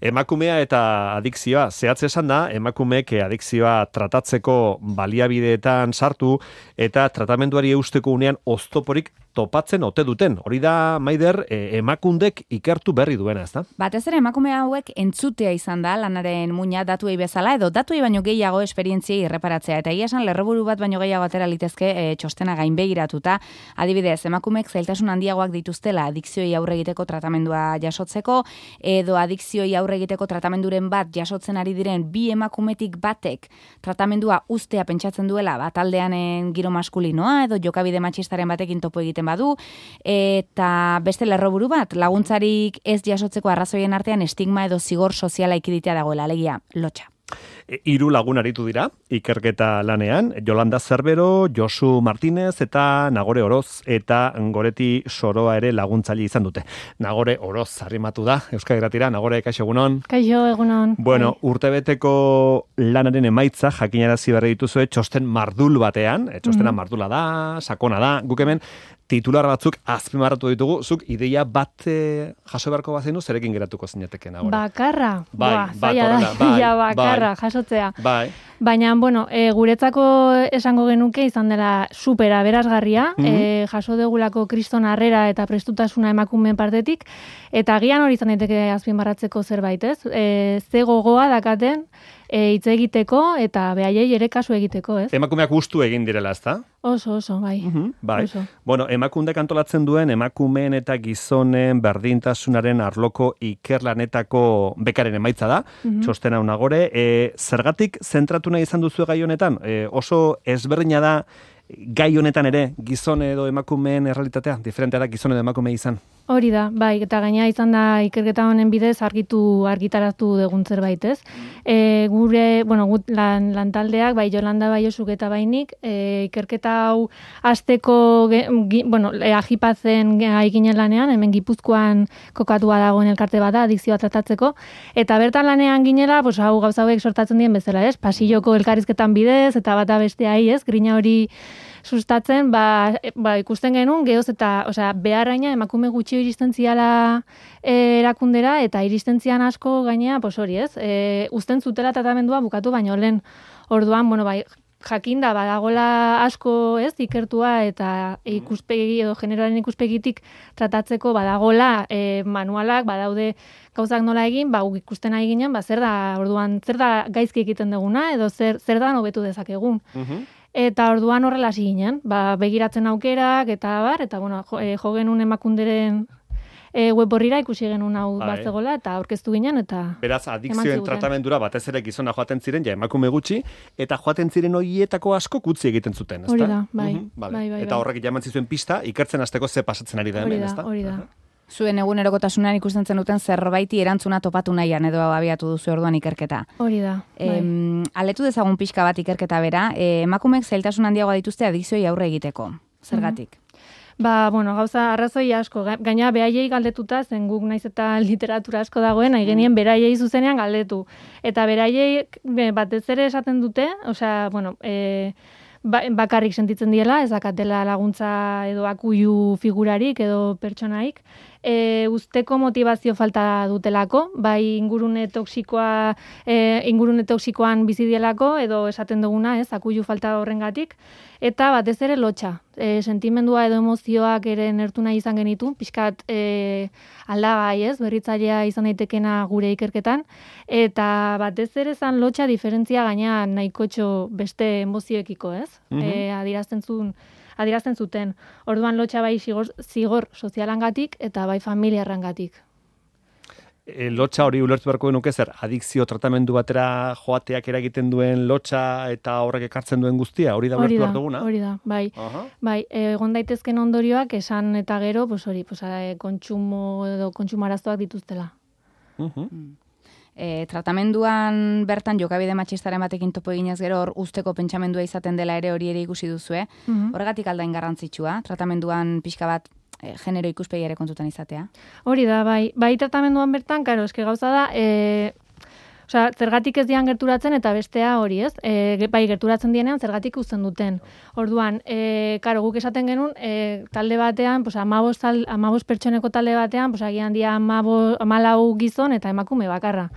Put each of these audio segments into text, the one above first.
Emakumea eta adikzioa, zehatz esan da, emakumeek adikzioa tratatzeko baliabideetan sartu eta tratamenduari eusteko unean oztoporik topatzen ote duten. Hori da, Maider, emakundek ikertu berri duena, ezta? Batez ere emakume hauek entzutea izan da lanaren muina datuei bezala edo datuei baino gehiago esperientziei erreparatzea. Eta egia esan lerroburu bat baino gehiago atera litezke txostena gainbegiratuta. Adibidez, emakumeek zailtasun handiagoak dituztela adikzioei aurre egiteko tratamendua jasotzeko edo adikzioei aurre egiteko tratamenduren bat jasotzen ari diren bi emakumetik batek tratamendua ustea pentsatzen duela bataldeanen giro maskulinoa edo jokabide matxistaren batekin topo egiten badu, eta beste lerroburu bat, laguntzarik ez jasotzeko arrazoien artean estigma edo zigor soziala ikiditea dagoela, alegia, lotxa. 3 lagun aritu dira, ikerketa lanean, Yolanda Zerbero, Josu Martínez eta Nagore Oroz, eta Goreti Soroa ere laguntzaile izan dute. Nagore Oroz arrimatu da, Euskadi Irratira. Nagore, kaixo egunon. Kaixo egunon. Bueno, urtebeteko lanaren emaitza jakinarazi berri dituzue txosten mardul batean, txostena mardula da, sakona da, guk hemen titular batzuk azpimarratu ditugu, zuk ideia bat jaso beharko bazenu, zerekin geratuko zinateken agora? Bakarra? Bakarra, jasotzea. Bai. Baina, bueno, guretzako esango genuke izan dela super aberasgarria, jaso degulako kriston harrera eta prestutasuna emakumeen partetik, eta agian hori izan daiteke azpimarratzeko zerbait, ez? Ze gogoa dakaten hitz egiteko eta behaiei ere kasu egiteko, ez? Emakumeak gustu egin direla, ezta? Oso, bai. Bai. Oso. Bueno, emakundek antolatzen duen emakumeen eta gizonen berdintasunaren arloko ikerlanetako bekaren emaitza da, txosten hau Nagore. Zergatik zentratu nahi izan duzu gai honetan? Oso ezberdina da gai honetan ere gizon edo emakumeen errealitatea, diferentea da gizon edo emakume izan. Hori da, bai, eta gaina izan da ikerketa honen bidez argitaratu dugun zerbait, ez? Gure, bueno, lantaldeak, bai Jolanda, bai Josuk eta bainik, ikerketa hau hasteko, ajipatzen ginen lanean, hemen Gipuzkoan kokatua dagoen elkarte bat da, adikzioa tratatzeko, eta bertan lanean ginela, pues, hau gauza hauek sortatzen dien bezala, ez? Pasilloko elkarrizketan bidez, eta bata besteai, ez? Grina hori sustatzen, ikusten genuen, gehoz eta, beharraina emakume gutxi iristen ziala erakundera, eta iristen zian asko gainea, hori ez, uzten zutela tratamendua bukatu baino lehen. Orduan, jakinda badagola asko ez ikertua eta ikuspegi edo generoaren ikuspegitik tratatzeko badagola manualak, badaude gauzak nola egin, guk ikusten ari ginen, zer da gaizki egiten duguna, edo zer da hobetu dezakegun. Eta orduan horrela hasi ginen, begiratzen aukerak, eta jo genuen emakunderen web horrira ikusi genuen hau bazegola, eta aurkeztu ginen, eta beraz, adikzioen tratamendura batez ere gizona joaten ziren, emakume gutxi, eta joaten ziren horietako asko utzi egiten zuten, ezta? Hori da, bai. Eta horrek jaman zizuen pista, ikertzen hasteko ze pasatzen ari da hemen, ezta? Hori da. Zuen egunerokotasunean ikusten zenuten zerbaiti erantzuna topatu nahian edo abiatu duzu orduan ikerketa. Hori da. Aletu dezagun pixka bat ikerketa bera, emakumeek zailtasun handiagoa dituzte adikzioi aurre egiteko. Zergatik? Gauza arrazoi asko. Gaina behaiei galdetuta, zen guk naiz eta literatura asko dagoen, nahi genien beraiei zuzenean galdetu. Eta beraiei batez ere esaten dute, bakarrik sentitzen diela, ez dakatela laguntza edo akuilu figurarik edo pertsonaik, usteko motivazio falta dutelako, bai ingurune toksikoan bizi dielako edo esaten duguna, ez, akuilu falta horrengatik, eta batez ere lotxa. Sentimendua edo emozioak ere nertu nahi izan genitu, pixkat aldagai, ez, berritzailea izan daitekena gure ikerketan, eta batez ere zan lotxa diferentzia gaina nahikotxo beste emozioekiko, ez? Adierazten zuten. Orduan lotxa bai zigor sozialangatik eta bai familiarrangatik. Lotxa hori ulertu beharko genuke zer, adikzio tratamendu batera joateak eragiten duen lotxa eta horrek ekartzen duen guztia, hori da ulertu behar duguna? Hori da, bai. Bai, egon daitezken ondorioak esan eta gero, kontsumo edo kontsumaraztoak dituztela. Tratamenduan bertan jokabide matxistaren batekin topo eginez gero hor usteko pentsamendua izaten dela ere hori ere ikusi duzue. Horregatik aldain garrantzitsua, tratamenduan pixka bat genero ikuspegi ere kontutan izatea. Hori da, bai tratamenduan bertan, karo, eske gauza da, Osea, zergatik ez dian gerturatzen eta bestea hori, ez? Bai, gerturatzen dienean zergatik uzten duten. Orduan, karo, guk esaten genuen, talde batean, pues 15 pertsoneko talde batean, pues agian dia 14 gizon eta emakume bakarra.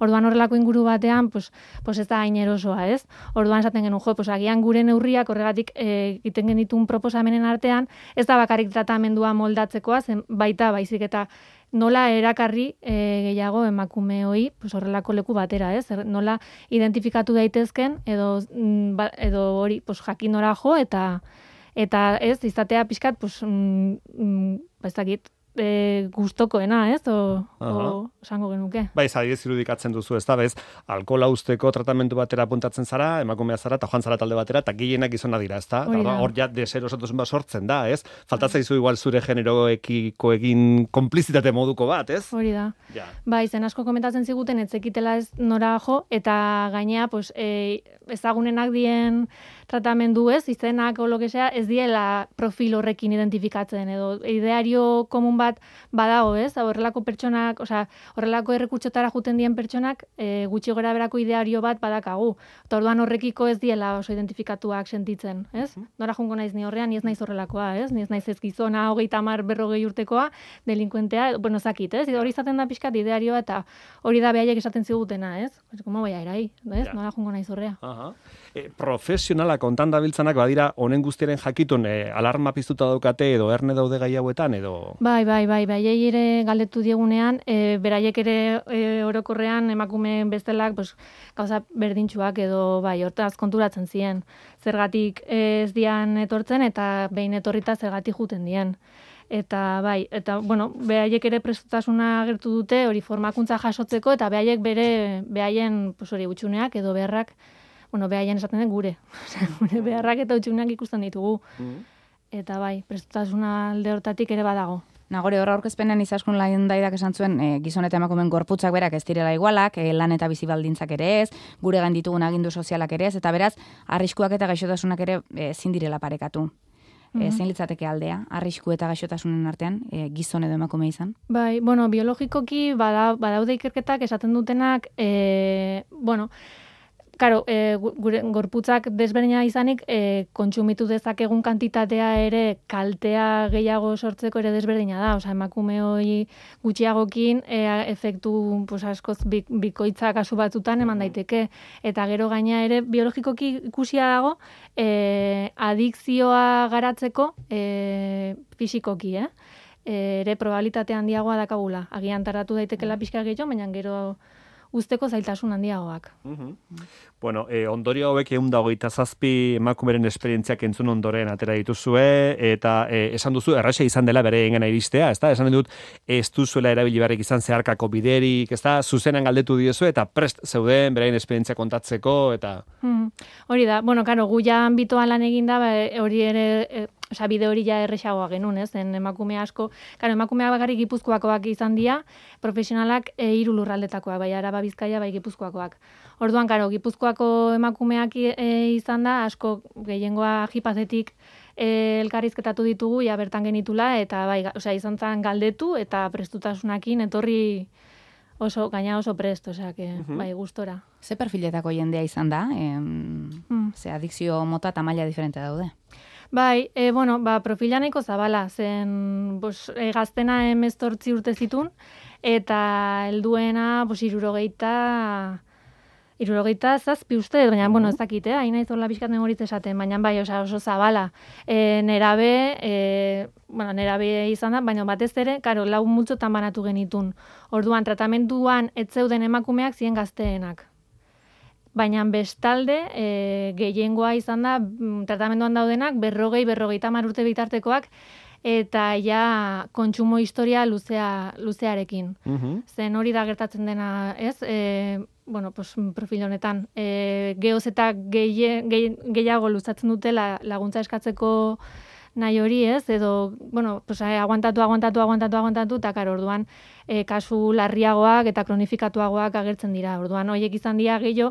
Orduan horrelako inguru batean, pues ez da hain erosoa, ez? Orduan esaten genuen, pues agian gure neurriak horregatik egiten genitun proposamenen artean, ez da bakarrik tratamendua moldatzekoa, zen baita baizik eta nola erakarri gehiago emakume hoi, pues horrelako leku batera, ez? Nola identifikatu daitezken edo hori, pues jakin nora jo eta ez izatea pixkat, pues ez dakit, gustokoena, ez? O esango genuke. Bai, adibidez irudikatzen duzu, ez da, bez, alkohola uzteko tratamendu batera apuntatzen zara, emakumea zara, eta joan zara talde batera, eta gehienak gizona dira, ez da? Hor ja deserosotasun bat sortzen da, ez? Faltatzaizu igual zure generoekiko egin konplizitate moduko bat, ez? Hori da. Ja. Bai, zen asko komentatzen ziguten, etzekitela ez nora jo, eta gainea, pues, ezagunenak dien tratamendu ez, izenak o lo que sea, ez diela profil horrekin identifikatzen, edo ideario komun bat badago, ez? Horrelako pertsonak, osea, horrelako errekurtsotara juten dien pertsonak, gutxi gora berako ideario bat badakagu. Eta orduan horrekiko ez diela oso identifikatuak sentitzen, ez? Nora jungo naiz ni horrean, ni ez naiz horrelakoa, ez? Ni ez naiz ez gizona 30, 40 urtekoa, delinkuentea, bueno, zakit, ez? Hori izaten da pixkat idearioa eta hori da behaiek esaten zigutena, ez? Como voy a ir ahí, ez? Ja. Nora jungo naiz horrea. Profesionala kontan dabiltzanak badira honen guztiaren jakitun alarma piztuta daukate edo erne daude gai hauetan edo... Bai, ere galdetu diegunean, beraiek ere orokorrean emakumeen bestelak pues, gauza berdintsuak edo bai, hortaz konturatzen ziren. Zergatik ez dian etortzen eta behin etorrita zergatik juten dien. Eta bai, eta bueno, beraiek ere prestutasuna agertu dute hori formakuntza jasotzeko eta beraiek beraien pues hori hutsuneak edo beharrak, bueno, behaien esaten den gure. Gure beharrak eta hutsuneak ikusten ditugu. Eta bai, prestutasuna alde hortatik ere badago. Nagore horra aurkezpenean izaskun Landaidak esan zuen gizon eta emakumeen gorputzak berak ez direla igualak, lan eta bizi baldintzak ere ez, gure gain ditugun agindu sozialak ere ez, eta beraz, arriskuak eta gaixotasunak ere ezin direla parekatu. Zein litzateke aldea, arrisku eta gaixotasunen artean, gizon edo emakume izan? Bai, bueno, biologikoki badaude ikerketak esaten dutenak, bueno, Karo, gure gorputzak desberdina izanik, kontsumitu dezakegun kantitatea ere kaltea gehiago sortzeko ere desberdina da. Osa, emakume hori gutxiagokin efektu pues, askoz bikoitza kasu batzutan eman daiteke. Eta gero gaina ere biologikoki ikusia dago adikzioa garatzeko fisikoki, ere probabilitate handiagoa dakagula. Agian taratu daitekela pixka gehiago, baina gero usteko zailtasun handiagoak. Bueno, ondorio hauek 127 emakumeren esperientziak entzun ondoren atera dituzue, eta esan duzu, erraxa izan dela bere engana iristea, ezta? Esan dut, ez duzuela erabili barrik izan zeharkako biderik, ezta? Zuzenan galdetu diozu, eta prest zeuden beraien esperientzia kontatzeko, eta... Hori da, bueno, karo, gu ja ambitoan lan eginda, hori ere... Osa, bide hori ja erresagoa genuen, ez? Zen emakume asko, karo, emakumea bakarrik Gipuzkoakoak izan dira, profesionalak 3 lurraldetakoak, bai Araba, Bizkaia, bai Gipuzkoakoak. Orduan, karo, Gipuzkoako emakumeak izan da, asko gehiengoa jipazetik elkarrizketatu ditugu, ja bertan genitula, eta bai, osea, izan zen galdetu, eta prestutasunakin etorri gaina oso prest, osea, bai, gustora. Ze perfiletako jendea izan da? Ze adikzio mota eta maila diferente daude? Bai, bueno, profila nahiko zabala, zen gaztena 18 urte zitun, eta helduena 67 uste, baina, bueno, ez dakit, hain naiz horla pixkat memoritz esaten, baina bai, oso zabala. Nerabe izan da, baina batez ere, karo, 4 multzotan banatu genitun. Orduan, tratamenduan ez zeuden emakumeak ziren gazteenak. Baina bestalde, gehiengoa izan da, tratamenduan daudenak, 40-50 urte bitartekoak, eta ja kontsumo historia luzearekin. Zen hori da gertatzen dena, ez? Profil honetan. Geoz eta gehiago luzatzen dutela laguntza eskatzeko nahi hori, ez? Edo, aguantatu, eta karo, orduan, kasu larriagoak eta kronifikatuagoak agertzen dira. Orduan, horiek izan dira gehiago,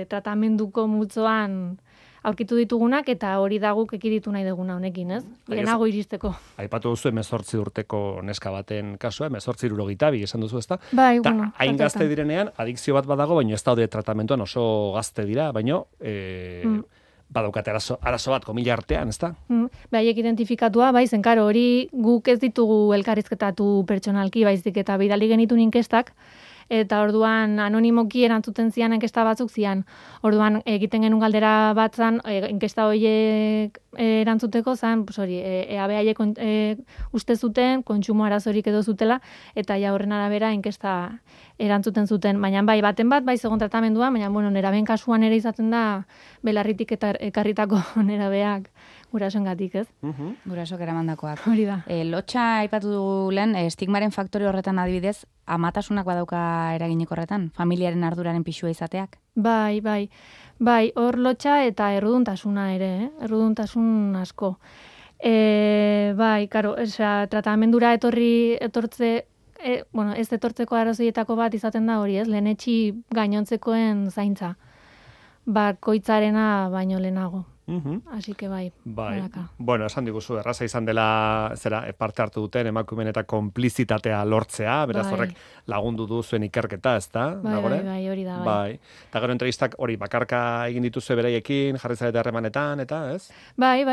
tratamenduko multzoan aurkitu ditugunak, eta hori da guk ekiditu nahi duguna honekin, ez? Lehenago iristeko. Aipatu duzu 18 urteko neska baten kasua, 18-72 esan duzu, ezta? Bai, Ta, hain gazte direnean, adikzio bat badago, baina ez daude tratamentuan oso gazte dira, baina badaukate arazo bat, komila artean, ezta? Haiek identifikatua, bai, zenkaro, hori guk ez ditugu elkarrizketatu pertsonalki, baizik eta bidali genitun inkestak, eta orduan anonimoki erantzuten zian inkesta batzuk zian. Orduan egiten genuen galdera batzan, inkesta horiek erantzuteko zan, pues hori, EAB haiek uste zuten, kontsumo arazorik edo zutela, eta ja horren arabera inkesta erantzuten zuten. Baina bai, baten bat, bai segon tratamendua, baina bueno, neraben kasuan ere izaten da belarritik eta ekarritako nerabeak gurasoengatik, ez? Gurasok eramandakoak. Hori da. Lotxa aipatu dugu lehen, estigmaren faktore horretan adibidez, amatasunak badauka eraginik horretan, familiaren arduraren pixua izateak? Bai, hor lotxa eta erruduntasuna ere, erruduntasun asko. Bai, karo, tratamendura ez etortzeko arazoietako bat izaten da hori, ez? Lehenetxi gainontzekoen zaintza. Bakoitzarena baino lehenago. Así que bai. Bueno, esan diguzu, erraza izan dela parte hartu duten emakumeen eta konplizitatea lortzea, beraz horrek lagundu du zuen ikerketa, ezta? Bai, hori da. Bai. Eta gero entrevistak hori bakarka egin dituzue beraiekin, jarri zarete harremanetan, eta ez? Bai.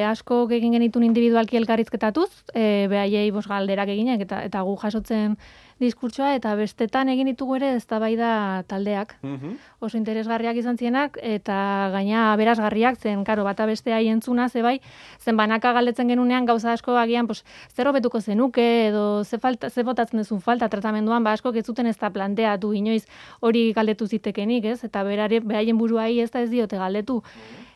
Asko egin genitun individualki elkarrizketatuz, beraiei galderak eginak eta gu jasotzen diskurtsoa, eta bestetan egin ditugu ere eztabaida taldeak. Oso interesgarriak izan zienak, eta gaina aberasgarriak zen, karo, bata bestea entzuna, zen banaka galdetzen genunean gauza asko agian, zer hobetuko zenuke, edo ze botatzen duzun falta tratamenduan, asko ez zuten ez da planteatu inoiz hori galdetu zitekenik, ez? Eta beraien buruai ez diote galdetu.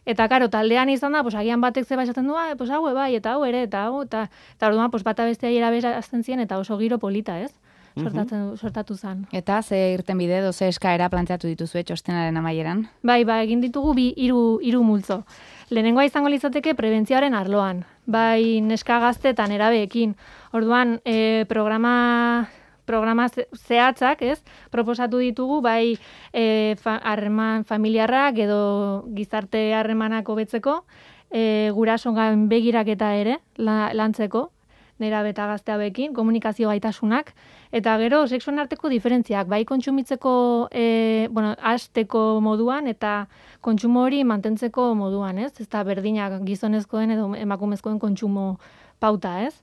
Eta, karo, taldean izan da, agian batek zeba esaten du, hau bai, eta hau ere, eta orduan, bata bestea eraberazten zien, eta oso giro polita, ez? Sortatu zen. Eta ze irtenbide edo ze eskaera planteatu dituzue txostenaren amaieran? Bai, egin ditugu hiru multzo. Lehenengoa izango litzateke prebentzioaren arloan. Bai, neska gaztetan erabeekin. Orduan, programa zehatzak, ez? Proposatu ditugu, bai, harreman familiarrak edo gizarte harremanak hobetzeko, gurasoen begiraketa ere lantzeko, nerabe eta gazte hauekin, komunikazio gaitasunak, eta gero sexuen arteko diferentziak, bai kontsumitzeko, hasteko moduan, eta kontsumo hori mantentzeko moduan, ez? Ez da berdinak gizonezkoen edo emakumezkoen kontsumo pauta, ez?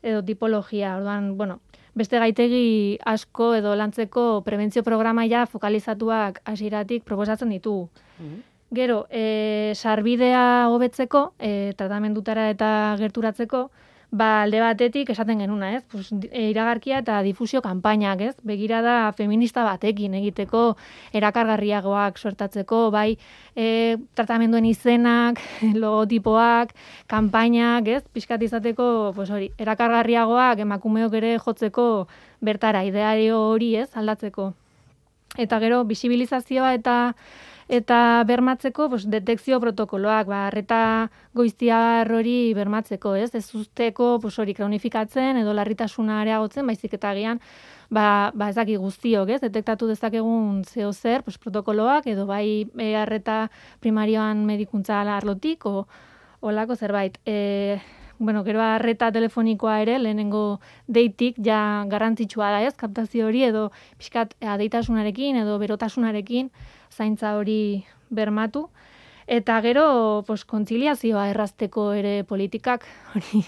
Edo tipologia, orduan, beste gaitegi asko edo lantzeko prebentzio programaia fokalizatuak hasieratik proposatzen ditugu. Gero, sarbidea hobetzeko, tratamendutara eta gerturatzeko, alde batetik esaten genuna, ez? Iragarkia eta difusio kanpainak, ez? Begirada feminista batekin egiteko, erakargarriagoak sortatzeko, bai, tratamenduen izenak, logotipoak, kanpainak, ez? Pixkat izateko, hori, erakargarriagoak emakumeok ere jotzeko bertara, ideario hori, ez? Aldatzeko. Eta gero, bisibilizazioa eta bermatzeko, detekzio protokoloak, arreta goiztiar hori bermatzeko, ez? Ez usteko, hori kronifikatzen edo larritasuna areagotzen, baizik eta agian, ezaki guztiok, ez? Detektatu dezakegun zeo zer, protokoloak, edo bai arreta primarioan medikuntza arlotik, olako zerbait. Gero arreta telefonikoa ere, lehenengo deitik, ja garrantzitsua da, ez? Kaptazio hori, edo pixkat adeitasunarekin, edo berotasunarekin, zaintza hori bermatu. Eta gero, kontziliazioa errazteko ere politikak, hori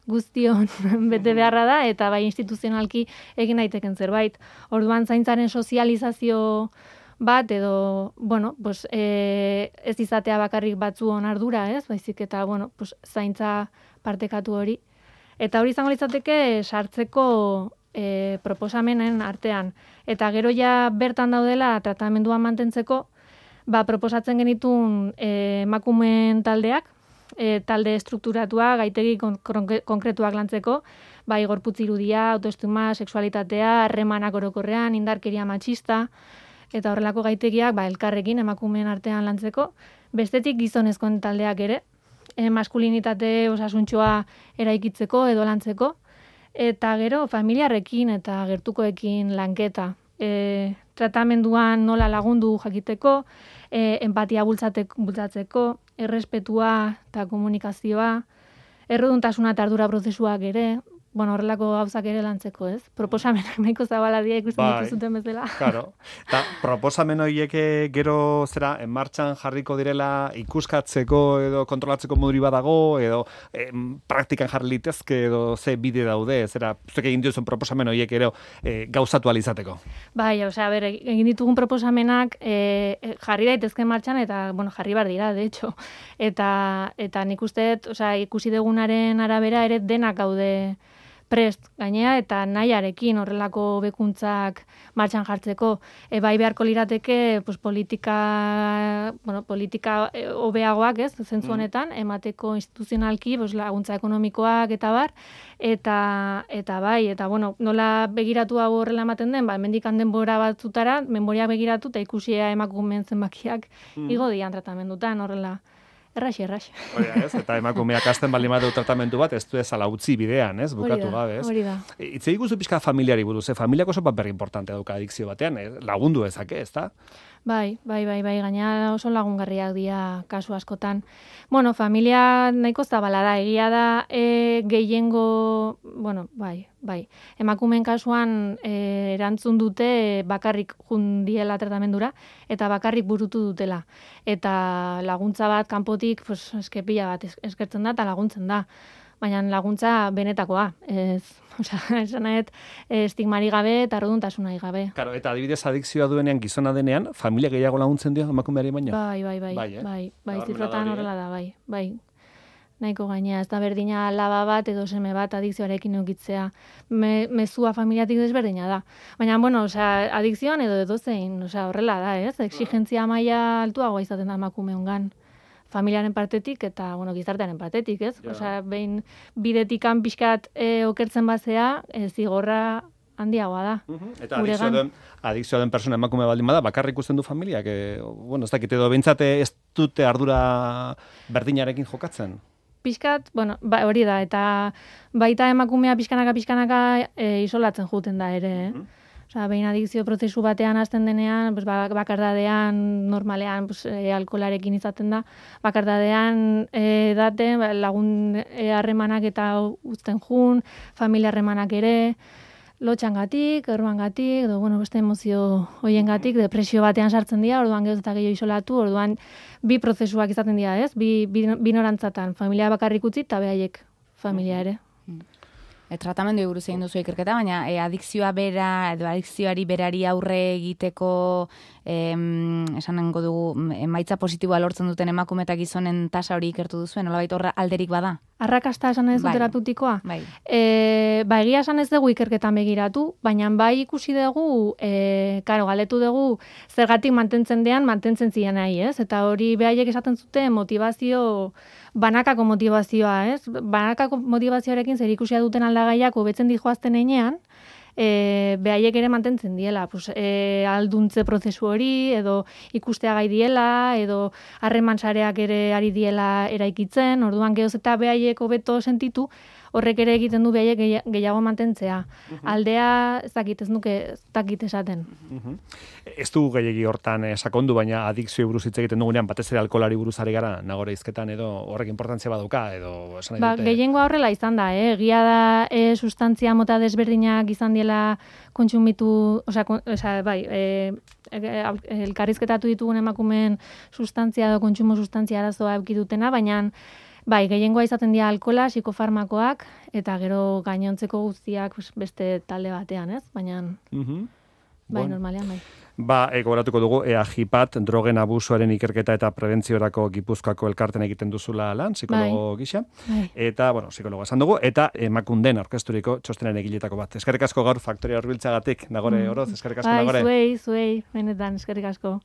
guztion bete beharra da, eta bai instituzionalki egin daiteken zerbait. Orduan zaintzaren sozializazio bat, edo, ez izatea bakarrik batzuon ardura, ez? Baizik eta, zaintza partekatu hori. Eta hori izango litzateke sartzeko proposamenen artean. Eta gero ja bertan daudela tratamenduan mantentzeko, proposatzen genitun emakumeen taldeak, talde estrukturatua, gaitegi konkretuak lantzeko, bai gorputz irudia, autoestima, sexualitatea, harremanak orokorrean, indarkeria matxista, eta horrelako gaitegiak elkarrekin emakumeen artean lantzeko, bestetik gizonezkoen taldeak ere, maskulinitate osasuntxoa eraikitzeko edo lantzeko, eta gero familiarrekin eta gertukoekin lanketa. tratamenduan nola lagundu jakiteko, empatia bultzatzeko, errespetua eta komunikazioa, erreduntasuna eta ardura prozesuak ere, horrelako gauzak ere lantzeko, ez? Proposamenak nahiko zabaladia ikusten dituzuten bezala. Claro. Eta proposamen horiek gero martxan jarriko direla ikuskatzeko edo kontrolatzeko moduri badago edo praktikan jarri litezke edo ze bide daude, zuek egin duzuen proposamen horiek ero gauzatu alizateko. Bai, egin ditugun proposamenak jarri daitezke martxan eta, jarri bar dira, de hecho. Eta nik usteet, ikusi dugunaren arabera ere denak gaude prest gainea eta nahiarekin horrelako bekuntzak martxan jartzeko. Bai beharko lirateke politika hobeagoak, ez, zentzu honetan, emateko instituzionalki laguntza ekonomikoak eta bar, eta bai, eta nola begiratu hau horrela ematen den, hemendik denbora batzutara, memoria begiratu eta ikusia emakumeen zenbakiak igo dian tratamendutan horrela. Erraxi. Hori ez, eta emakumeak hasten baldin badu tratamendu bat, ez du ezala utzi bidean, ez, bukatu gabe, ez? Hori da. Itzei guzu pixka familiari buruz, familiak oso paper importante dauka adikzio batean, lagundu ezake, ez da? Bai, gaina oso lagungarriak dira kasu askotan. Familia nahiko zabala da, egia da gehiengo, bai. Emakumeen kasuan erantzun dute bakarrik jundiela tratamendura eta bakarrik burutu dutela. Eta laguntza bat kanpotik eskepila bat eskertzen da eta laguntzen da. Baina laguntza benetakoa, esan nahet estigmari gabe eta erreduntasunari gabe. Claro, eta adibidez adikzioa duenean gizona denean, familia gehiago laguntzen dio emakumeari baino? Bai, zifratan horrela da, bai. Nahiko gainea, ez da berdina alaba bat edo seme bat adikzioarekin eukitzea. Mezua familiatik desberdina da. Baina, adikzioan edo edozein, horrela da, ez? Exigentzia maila altuagoa izaten da emakumeongan. Familiaren partetik eta, gizartearen partetik, ez? Behin bidetikan pixkat okertzen bazea, zigorra handiagoa da. Eta adikzioa den persona emakume baldin bada, bakarrik ikusten du familiak, ez dakit edo behintzate ez dute ardura berdinarekin jokatzen? Pixkat, hori da, eta baita emakumea pixkanaka isolatzen juten da ere, behin adikzio prozesu batean hasten denean, bakardadean, normalean, alkolarekin izaten da, bakardadean daten, lagun harremanak eta uzten jun, familia harremanak ere, lotxangatik, erruangatik, edo, beste emozio hoiengatik, depresio batean sartzen dira, orduan gehoz eta gehiago isolatu, orduan bi prozesuak izaten dira, ez? Bi norantzatan, familia bakarrik utzi eta behaiek familia ere. Tratamendu buruz egin duzu ikerketa, baina adikzioa bera, edo adikzioari berari aurre egiteko, esanengo dugu, emaitza positiboa lortzen duten emakume eta gizonen tasa hori ikertu duzuen, nolabait horra alderik bada? Arrakasta esan ez du terapeutikoa? Bai. Egia esan ez dugu ikerketan begiratu, baina bai ikusi dugu, galetu dugu, zergatik mantentzen zian nahi, ez? Eta hori behaiek esaten zuten banakako motivazioa, ez? Banakako motivazioarekin zer ikusia duten aldagaiak hobetzen dijoazten einean, behaiek ere mantentzen diela, alduntze prozesu hori, edo ikustea gai diela, edo harreman sareak ere ari diela eraikitzen, orduan gehoz eta behaiek hobeto sentitu, horrek ere egiten du behaiek gehiago mantentzea. Aldea, ez dakit esaten. Ez dugu gehiagi hortan sakondu, baina adikzio buruz hitz egiten dugunean, batez ere alkolari buruz ari gara, nagore izketan edo horrek importantzia baduka, edo esan nahi dute. Gehiengoa horrela izan da, egia da sustantzia mota desberdinak izan diela kontsumitu, elkarrizketatu ditugun emakumeen sustantzia edo kontsumo sustantzia arazoa eukidutena, baina bai, gehiengoa izaten dira alkola, psikofarmakoak, eta gero gainontzeko guztiak beste talde batean, ez? Baina, normalean, bai. Gogoratuko dugu, EAJIPAT, drogen abusuaren ikerketa eta prebentziorako Gipuzkoako elkarten egiten duzula lan, psikologo gisa. Eta, psikologo esan dugu, eta Emakunden aurkezturiko txostenen egiletako bat. Eskerrik asko gaur Faktoria hurbiltzagatik, Nagore Oroz, eskerrik asko, Nagore. Zuei, benetan, eskerrik asko.